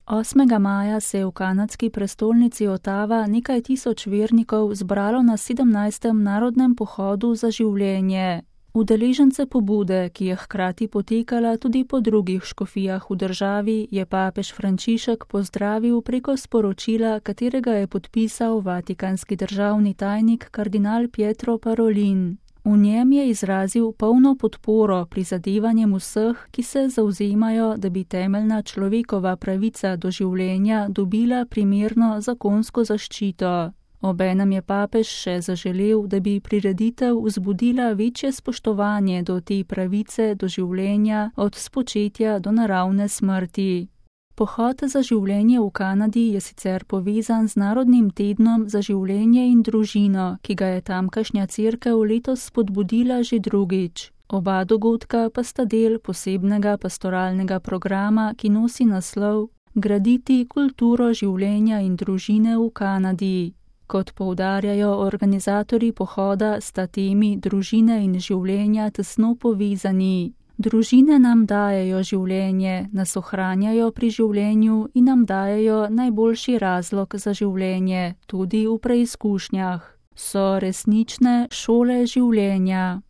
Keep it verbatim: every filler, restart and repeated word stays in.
Osmega maja se je v kanadski prestolnici Ottawa nekaj tisoč vernikov zbralo na sedemnajstem narodnem pohodu za življenje. Udeležence pobude, ki je hkrati potekala tudi po drugih škofijah v državi, je papež Frančišek pozdravil preko sporočila, katerega je podpisal vatikanski državni tajnik kardinal Pietro Parolin. V njem je izrazil polno podporo prizadevanjem vseh, ki se zavzemajo, da bi temeljna človekova pravica do življenja dobila primerno zakonsko zaščito. Obenem je papež še zaželel, da bi prireditev vzbudila večje spoštovanje do te pravice do življenja od spočetja do naravne smrti. Pohod za življenje v Kanadi je sicer povezan z Narodnim tednom za življenje in družino, ki ga je tamkajšnja cerkev letos spodbudila že drugič. Oba dogodka pa sta del posebnega pastoralnega programa, ki nosi naslov Graditi kulturo življenja in družine v Kanadi. Kot poudarjajo organizatorji pohoda, sta temi družine in življenja tesno povezani. Družine nam dajejo življenje, nas ohranjajo pri življenju in nam dajejo najboljši razlog za življenje, tudi v preizkušnjah. So resnične šole življenja.